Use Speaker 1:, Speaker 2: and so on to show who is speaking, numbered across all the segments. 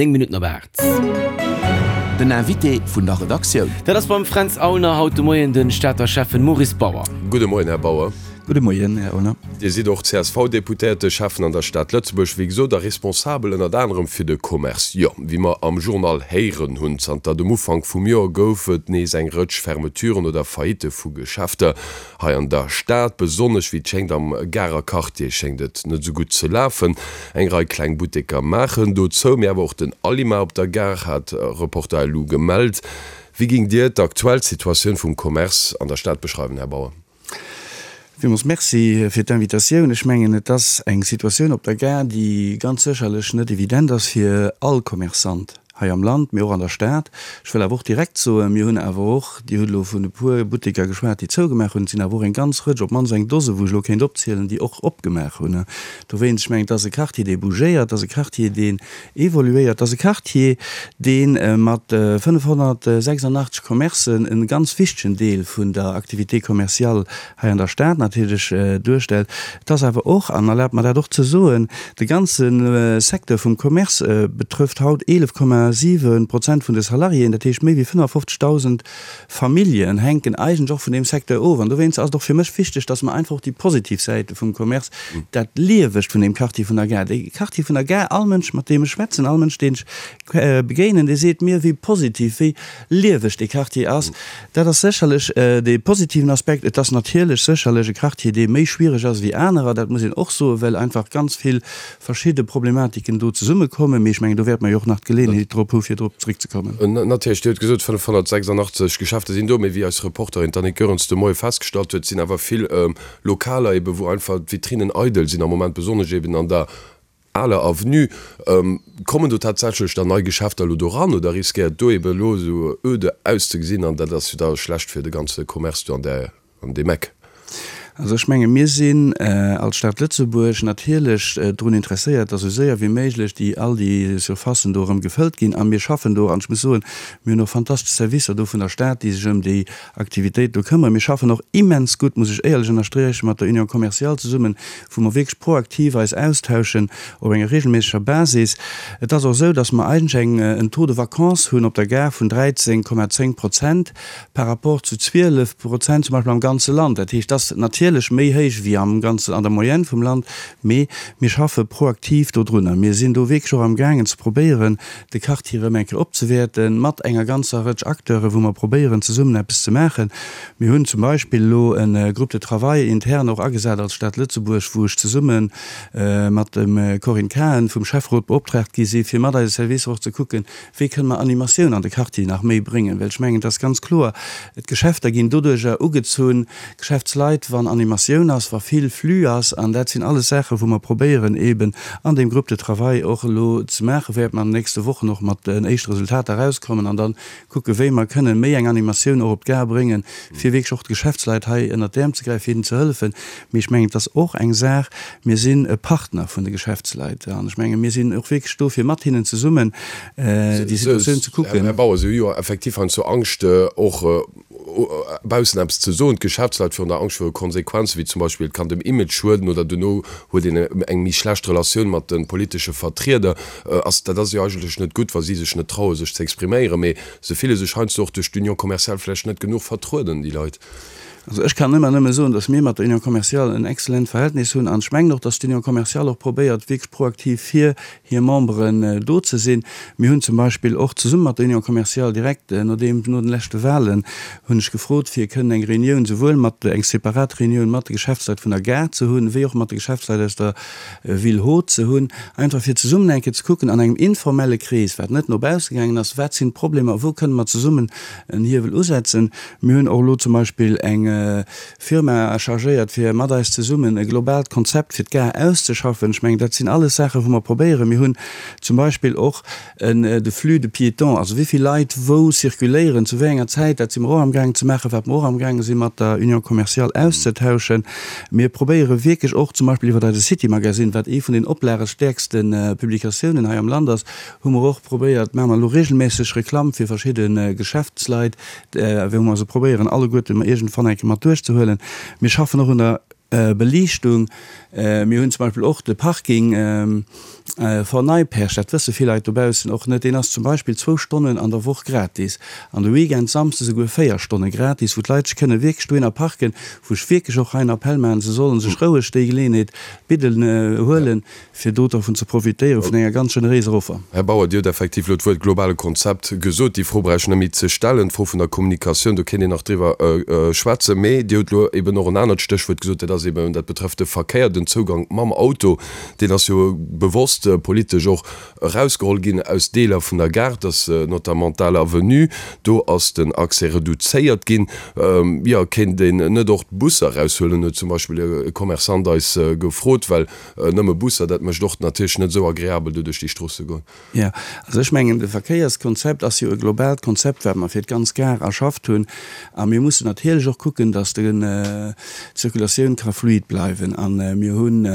Speaker 1: 9 Minutten op 8.
Speaker 2: Den Invité vun der Redaktioun.
Speaker 1: Dat ass beim Fränz Aulner haut de Moien de Stater Schäffen Maurice Bauer.
Speaker 3: Gudde Moien, Här Bauer.
Speaker 4: Gudde Moien, Här Aulner.
Speaker 3: Dir sidd och CSV-Deputéierte, Schäffen an der Stad Lëtzebuerg, wéi gesot, a responsabel ënnert anerem fir de Commerce. Jo, wéi mer am Journal héieren hunn, zanter dem Ufank vum Joer gouf et nees eng Rëtsch Fermeturen oder Faillitte vu Geschäfter hei an der Stad. Besonnesch, wéi et schéngt, am Garer Quartier schéngt et net esou gutt ze lafen. Eng Rei kleng Butteker maachen do zou, mee awer och den Alima op der Gare hat Reporter elu gemellt. Wéi géingt Dir d'aktuell Situatioun vum Commerce an der Stad beschreiwen, Här Bauer?
Speaker 4: Villmools Merci fir d'Invitatioun. Ech mengen, et ass eng Situatioun op der Gare, déi ganz sécherlech net evident ass fir all Commerçant hei am Land, mee och an der Stad. Ech wëll awer och direkt soen, mir hunn awer och, Dir hutt elo vun e puer Butteker geschwat, déi zougemaach hunn, et sinn awer och eng ganz Rëtsch, op d'mannst eng Dose, wou ech elo kéint opzielen, déi och opgemaach hunn. Dowéinst, ech mengen, et ass e Quartier, dee bougéiert, et ass e Quartier, deen Evoluéiert. Et ass e Quartier, dee mat 586 Commercen e ganz wichtegen Deel vun der Activité commerciale hei an der Stad natierlech duerstellt. Et ass awer och, an erlaabt mer dat och ze soen, de ganze Secteur vum Commerce betrëfft haut 11,7 Prozent vun de Salariéen, dat heescht méi wéi 55.000 Familljen hänken eigentlech och vun deem Secteur of. An dowéinst ass et och fir mech wichteg, dass mer einfach och déi positiv Säite vum Commerce, dat Liewegt vun deem Quartier vun der Gare, dee Quartier vun der Gare, all Mënsch, mat deem ech schwätzen, all Mënsch, deen ech begéinen, dee seet mir, wéi positiv, wéi lieweg dee Quartier ass. Dat ass sécherlech dee positiven Aspekt. Et ass natierlech sécherlech e Quartier, dee méi schwiereg ass wéi anerer, dat muss een och soen, well einfach ganz vill verschidde Problematiken do zesummekommen, mee ech mengen, do wäerte mer jo och nach d'Geleeënheet drop hu fir drop zréckzekommen.
Speaker 3: Natierlech, Dir hutt gesot, 586 Geschäfte sinn do, mee wéi eis Reporterin d'Annick Goerens de Moie festgestallt huet, sinn awer vill Lokaler ebe wou einfach d'Vitrinnen eidel sinn am Moment, besonnesch eben an der aler Avenue. Kommen do tatsächlech dann nei Geschäfter elo do ran oder riskéiert do ebe elo esou öde auszegesinn an dat ass jo da schlecht fir de ganze Commerce do an där An deem Eck.
Speaker 4: Also ech menge mir sinn als Stad Lëtzebuerg natierlech drun interesséiert, datt esou séier wéi méiglech déi all déi Surfacen do erëm gefëllt ginn. A mir schaffen do, an ech muss soen, mir hunn och fantastesch Servicer do vun der Stad, déi sech ëm déi Aktivitéit do këmmeren. Mir schaffen och immens gutt, muss ech éierlech ënnersträchen, mat der Union commerciale zesummen, wou mer wierklech proaktiv eis austauschen op enger regelméisseger Basis. Et ass och esou, datt mer eigentlech eng en Taux de vacance hunn op der Gare vun 13,10 Prozent. par rapport zu 12 Prozent zum Beispill am ganze Land. Dat heescht, dat ass natierlech méi héich wéi am ganzen, an der Moyenne vum Land, mee mir schaffe proaktiv dodrunner. Mir sinn do wierklech och amgaangen ze probéieren, de Quartier erëm eng Kéier opzewäerten, mat enger ganzer Rëtsch Acteuren, wou mer probéieren zesummen eppes ze maachen. Mir hunn zum Beispill elo e Groupe de travail intern och agesat als Stad Lëtzebuerg, wou ech zesumme mat dem Corinne Cahen vum Schäfferot beoptraagt gi si fir mat eise Servicer och ze kucken, Wéi kënne mer Animatioun an de Quartier nach méi bréngen? Well ech mengen, et ass ganz kloer, d'Geschäfter ginn doduerjer ugezunn, d'Geschäftsleit, wann Animatioun ass, wa vill Flux ass. An dat sinn alles Saachen, wou mer probéieren eeben an deem Groupe de travail och elo ze maachen, wäerte mer an den nächste Wochen och mat den éischte Resultater erauskommen an da kucken, wéi mer kënnen méi eng Animatioun och op d'Gare bréngen, fir wierklech och de Geschäftsleit hei ënnert d'Äerm ze gräifen, fir hinnen ze hëllefen. Mee ech mengen, et ass och eng Saach, mir sinn e Partner vun de Geschäftsleit an ech menge mir sinn och wierklech do, fir mat hinnen zesummen déi Situatioun ze kucken.
Speaker 3: Här Bauer, Si hu jo effektiv heiansdo Angscht, och baussen eppes ze soen, d'Geschäftsleit virun der Angscht viru Konsequenzen, wéi zum Beispill et kann dem Image schueden oder duerno huet een eng méi schlecht Relatioun mat de politesche Vertrieder. Ass, dat ass jo eigentlech net gutt, wa si sech net traue sech ze expriméieren, mee se fille sech heiansdo och duerch d'Union commerciale vläicht net genuch vertrueden, déi Leit.
Speaker 4: Also ech kann ëmmer nëmme soen, datt mir mat der Union commerciale en excellent Verhältnis hunn an ech mengen och, datt d'Union commerciale och probéiert wierklech proaktiv fir hir Memberen do ze sinn. Mir hunn zum Beispill och zesumme mat der Union commerciale direkt nodeem, no den leschte Wahlen hunn ech gefrot fir kënnen eng Reunioun souwuel mat, eng separat Reunioun mat de Geschäftsleit vun der Gare ze hunn, wéi och mat de Geschäftsleit aus der Ville haute ze hunn, einfach fir zesummen eng Kéier ze kucken an engem informelle Krees, wat net no bausse gaangen ass, wat sinn d'Problemer, wou kënne mer zesummen en Hiewel usetzen. Mir hunn och elo zum Beispill eng Firma chargéiert, fir mat eis zesummen e globaalt Konzept fir d'Gare auszeschaffen. Ech mengen, dat sinn alles Saachen, wou mer probéieren. Mir hunn zum Beispill och de Flux de piétons, also wéi vill Leit wou circuléieren, zu wéi enger Zäit, dat si mer och amgaangen ze maachen, wat mer och amgaange si mat der Union commerciale auszetauschen. Mir probéiere wierklech och zum Beispill iwwer eise City Magazine, wat ee vun den oplagestäerkste Publikatiounen hei am Land ass, hu mer och probéiert, maache mer elo regelméisseg Reklamm fir verschidde Geschäftsleit, wou mer se probéieren alleguerten iergendwann eng Kéier mat duerchzehuelen. Mir schaffen och un der Beliichtung. Mir hunn zum Beispill och de Parking. Fort Neipperg, dat wësse vill Leit dobaussen och net, deen ass zum Beispill zwou Stonnen an der Woch gratis, an de Weekend Samsdes esouguer 4 Stonne gratis, wou d'Leit sech kënne wierklech dohinner parken, wou ech wierklech och hei en Appell maachen, se sollen sech roueg déi Geleeënheet bidden, huelen, fir do dervun ze profitéieren, vun enger ganz generéiser Offer.
Speaker 3: Här Bauer, Dir hutt effektiv elo d'Wuert globale Konzept gesot. Déi Fro brauch ech net méi ze stellen. D'Fro vun der Kommunikatioun, do kéint een nach driwwer schwätzen. Mee Dir hutt elo eben och en anert Stéchwuert gesot, dat ass eben, dat betrëfft de Verkéier, den Zougang mam Auto. Deen ass jo bewosst politesch och erausgeholl ginn aus Deeler vun der Gare, dass notamment d'Al Avenue, do ass den Accès reduzéiert ginn. Jo, kéint een net och d'Busser eraushuelen, huet zum Beispill e Commerçant eis gefrot, well nëmme Busser, dat mécht och natierlech net esou agreabel, do duerch déi Strooss ze goen.
Speaker 4: Jo, also ech mengen, de Verkéierskonzept ass jo e globaalt Konzept, wat mer fir d'ganz Gare erschafft hunn. A mir mussen natierlech och kucken, datt d'Zirkulatioun ka fluid bleiwen. A mir hunn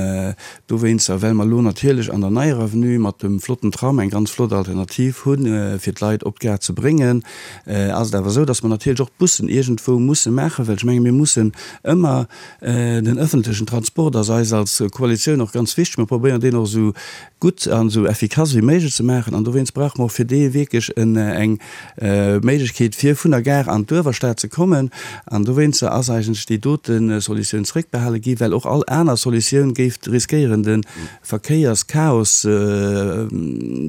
Speaker 4: dowéinster, well mer elo natierlech an der neier Avenue mat dem flotten Tram eng ganz flott Alternativ hunn, fir d'Leit op d'Gare ze bréngen, ass et awer esou, datt mer natierlech och d'Bussen iergendwou musse maachen, well ech menge mir mussen ëmmer den ëffentlechen Transport ass eis als Koalitioun och ganz wichteg. Mir probéieren deen och esou gutt an esou effikass wéi méiglech ze maachen. An dowéinst brauche mer och fir dee wierklech eng Méiglechkeet, fir vun der Gare an d'Uewerstad ze kommen. An dowéinster ass eigentlech déi dote Solutioun zréckbehale gi, well och all aner Solutioun géif riskéieren, de Verkéierschaos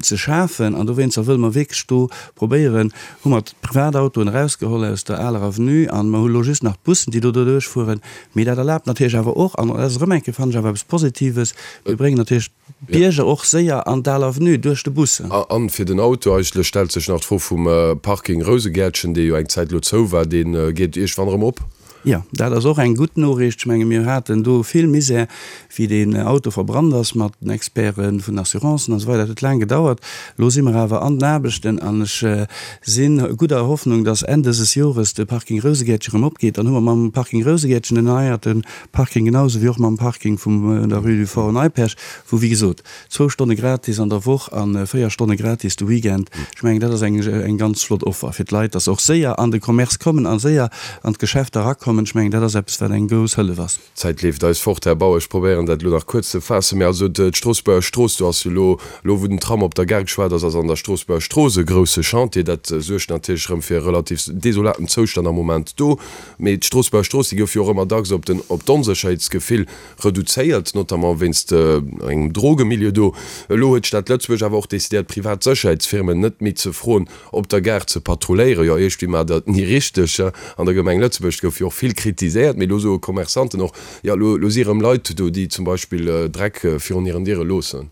Speaker 4: ze schafen. An dowéinster wëlle mer wierklech do probéieren, hu mer d'Privatautoen erausgeholl aus der aler Avenue an mer hu lo just nach d'Bussen, déi do doduerch fueren. Mee dat erlaabt natierlech awer och, an dat ass erëm eng Kéier, fannen ech, awer eppes Positives, mir bréngen natierlech d'Bierger och séier an d'al Avenue duerch de Bus.
Speaker 3: A fir den Auto eigentlech stellt sech nach d'Fro vum Parking Rousegäertchen, dee jo eng Zäit elo zou war. Dee geet iergendwann erëm op?
Speaker 4: Jo, dat ass och eng gutt Noriicht. Ech menge mir haten do vill Misär, wéi deen Auto verbrannt ass mat den Experte vun den Assurancen an esou weider. Dat huet laang gedauert. Elo si mer awer an den Aarbechten an ech si gudder Hoffnung, dass Enn dëses Jores de Parking Rousegäertchen erëm opgeet. Dann hu mer mam Parking Rousegäertchen en erneierte Parking, genau esou wéi och mam Parking vum der Rue du Fort Neipperg, wou wéi gesot zwou Stonne gratis an der Woch a 4 Stonne gratis de Weekend. Ech mengen, dat ass eng ganz flott Offer fir d'Leit, dass se och séier an de Commerce kommen a séier an d'Geschäfter erakommen. Ech mengen, dat ass eppes, wat eng grouss Hëllef ass.
Speaker 3: D'Zäit leeft eis fort, Här Bauer. Ech probéieren dat elo nach kuerz ze faassen. Mä also d'Stroossbuerger Strooss, do ass jo elo, elo wou den Tram op der Gare geschwat ass, ass an der Stroossbuerger Strooss e grousse Chantier. Dat suergt natierlech erëm fir e relativ desolaten Zoustand am Moment do. Mee d'Stroossbuerger Strooss, déi gouf jo och ëmmer dacks op den, op d'Onsécherheetsgefill reduzéiert, notamment wéinst engem Drogemilieu do. Elo huet d'Stad Lëtzebuerg awer och decidéiert, privat Sécherheetsfirmen net méi ze froen, op der Gare ze patrulléieren. Jo, iergendwéi maacht Der et ni richteg. An der Gemeng Lëtzebuerg gouf jo och vill kritiséiert, mee elo soe Commerçanten och, jo, elo si erëm Leit do, déi zum Beispill Dreck virun hiren Diere loossen.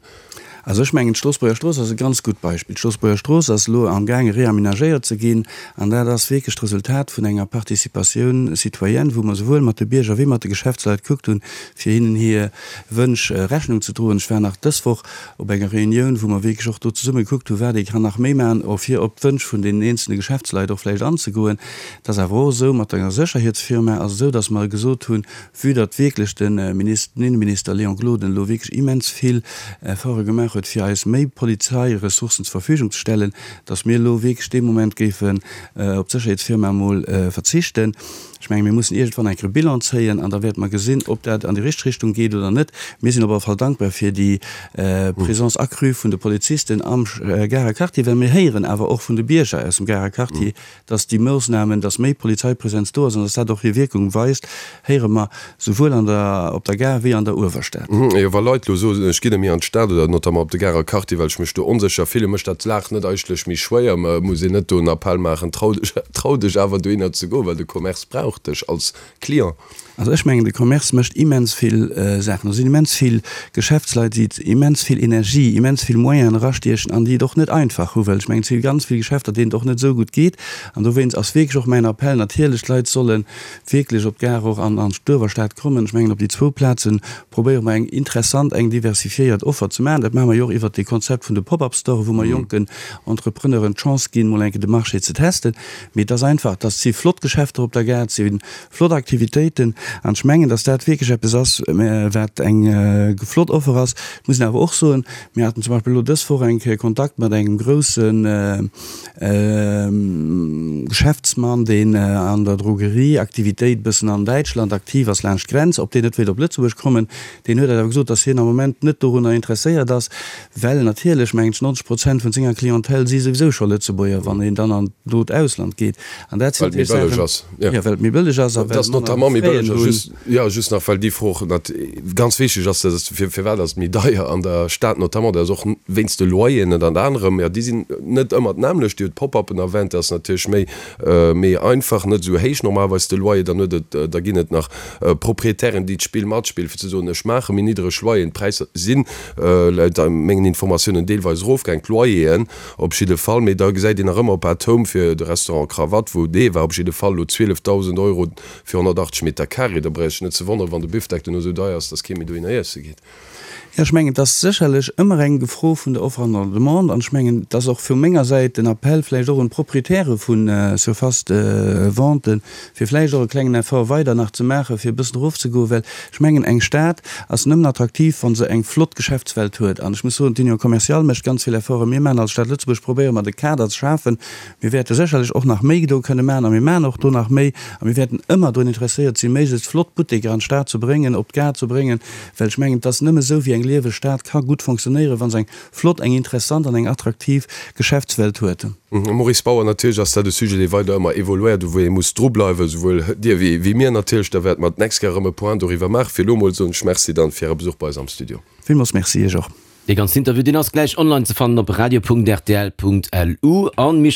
Speaker 4: Also ech mengen, d'Stroossbuerger Strooss ass e ganz gutt Beispill. D'Stroossbuerger Strooss ass elo amgaange reamenagéiert ze ginn an dat ass wierklech d'Resultat vun enger Participatioun citoyenne, wou mer souwuel mat de Bierger wéi mat de Geschäftsleit gekuckt hunn, fir hinnen hir Wënsch Rechnung ze droen. Ech war nach dës Woch op enger Reunioun, wou mer wierklech och do zesumme gekuckt hunn, wat ee kann nach méi maachen, och fir op d'Wënsch vun deenen eenzelne Geschäftsleit och vläicht anzegoen. Et ass awer och esou, mat enger Sécherheetsfirma ass et esou, datt mer gesot hunn, Vue datt wierklech de Minister, den Innenminister Léon Gloden elo wierklech immens vill Efforte gemaach huet, fir eis méi Polizeiressourcen zur Verfügung ze stellen, datt mir elo wierklech dee Moment géifen op d'Sécherheetsfirma emol verzichten. Ech menge mir mussen iergendwann eng Kéier e Bilan zéien an da wäerte mer gesinn, ob dat an déi richteg Richtung geet oder net. Mir sinn op alle Fall dankbar fir déi Présence accrue vun de Polizisten am Garer Quartier, well mir héieren awer och vun de Bierger aus dem Garer Quartier, Dass déi Moossnamen, dass méi Polizeipräsenz do ass an dass dat och hir Wierkung weist, héiere mer souwuel an der, op der Gare wéi an der Uewerstad.
Speaker 3: Jo, wa Leit elo soen, ech ginn net méi an d'Stad oder notamment op de Garer Quartier, well ech mech do onsécher fillen, mécht dat d'Lag net eigentlech méi schwéier? Muss een net do en Appell maachen, trau dech, trau dech awer dohinner ze goen, well de Commerce brauch dech als Client?
Speaker 4: Also ech mengen, de Commerce mécht immens vill Saachen. Do sinn immens vill Geschäftsleit, déi immens vill Energie, immens vill Moyenen erastiechen an déi et och net einfach hu well ech mengen, et si ganz vill Geschäfter, deenen et och net esou gutt geet. An dowéinst ass wierklech och mäin Appell, natierlech, d'Leit solle wierklech op d'Gare och an an d'Uewerstad kommen. Ech mengen, op déi zwou Plaze probéiere mer eng interessant, eng diversifiéiert Offer ze maachen. Dat maache mer jo och iwwert dee Konzept vun de Pop-up-Storen, wou mer jonken Entrepreneuren d'Chance ginn, mol eng Kéier de Marché ze testen. Mee et ass einfach, dass si flott Geschäfter op der Gare, et si Flott Aktivitéiten. An ech mengen, dass dat wierklech eppes ass, wat eng flott Offer ass. Ech muss awer och soen, mir haten zum Beispill elo dës Woch eng Kéier Kontakt mat engem grousse Geschäftsmann, deen an der Drogerieaktivitéit e bëssen an Däitschland aktiv ass, laanscht d'Grenz, ob deen net wéilt op Lëtzebuerg kommen. Deen huet eis awer gesot, dass hien am Moment net dorunner interesséiert ass, well natierlech, mengen ech, 90 Prozent vun senger Clientèle si souwisou scho Lëtzebuerger, wann een dann an d'not Ausland geet. An dat sinn
Speaker 3: Well et méi
Speaker 4: natierlech
Speaker 3: bëlleg
Speaker 4: Saachen,
Speaker 3: ass, jo.
Speaker 4: Jo, well et méi bëlleg ass a
Speaker 3: Et
Speaker 4: well
Speaker 3: ass
Speaker 4: manner
Speaker 3: notamment méi
Speaker 4: Fräen
Speaker 3: bëlleg ass,
Speaker 4: hunn.
Speaker 3: just, jo, just nach, well déi Fro och nat ganz wichteg ass, dat ass, fir, firwat ass et méi deier an der Stad notamment, dat ass och wéinst de Loyeren ënnert anerem, jo, déi sinn net ëmmer d'nämmlecht. Dir hutt d'Pop-uppen erwänt, dat ass natierlech méi, méi einfach, net esou héich normalerweis de Loyer. Dann huet et, da ginn et nach Proprietären, déi d'Spill matspillen, fir ze soen, ech maache méi niddreg Loyeren. D'Präisser sinn laut mengen Informatiounen deelweis erofgaang, d'Loyeren op jidde Fall. Mee da gesäit een nach ëmmer op Atome fir de Restaurant Cravate, wou dee war op jidde Fall elo 12.000 Euro fir 180 Meter carré. Da brauch ech net ze wonneren, wann de Bifdeck duerno esou deier ass, datt kee méi dohinner iesse geet.
Speaker 4: Jo, ech mengen, et ass sécherlech ëmmer eng Fro vun der Offre an der Demande. An ech mengen, et ass och vu menger Säit den Appell vläicht och un d'Proprietäre vu Surfaces de vente, fir vläicht och e klengen Effort weider nach ze maachen, fir e bëssen erofzegoen, well ech mengen, eng Stad ass nëmmen attraktiv, wa se eng flott Geschäftswelt huet. An ech muss soen, d'Union commerciale mécht ganz vill Efforten. Mir maachen als Stad Lëtzebuerg, probéiere mer de Kader ze schafen, Mir wäerte sécherlech och nach méi do kënne maachen a mir maachen och do nach méi a mir wäerten ëmmer drun interesséiert sinn, méiglechst flott Butteker an d'Stad ze bréngen, op d'Gare ze bréngen, well ech mengen, et ass nëmme esou, wéi eng lieweg Stad ka gutt fonctionnéieren, wa se eng flott, eng interessant an eng attraktiv Geschäftswelt huet.
Speaker 3: Maurice Bauer, Natierlech ass dat e Sujet, dee weider ëmmer evoluéiert, u wou ee muss drubleiwen, esouwuel Dir wéi wéi mir natierlech. Da wäerte mer d'nächst Kéier erëm e Point doriwwer maachen. Fir elo emol soen ech Merci dann fir Äre Besuch bei eis am Studio.
Speaker 4: Villmools Merci Iech och.
Speaker 1: Dee ganzen Interview, deen ass gläich online ze fannen op radio.rtl.lu. An Michèle.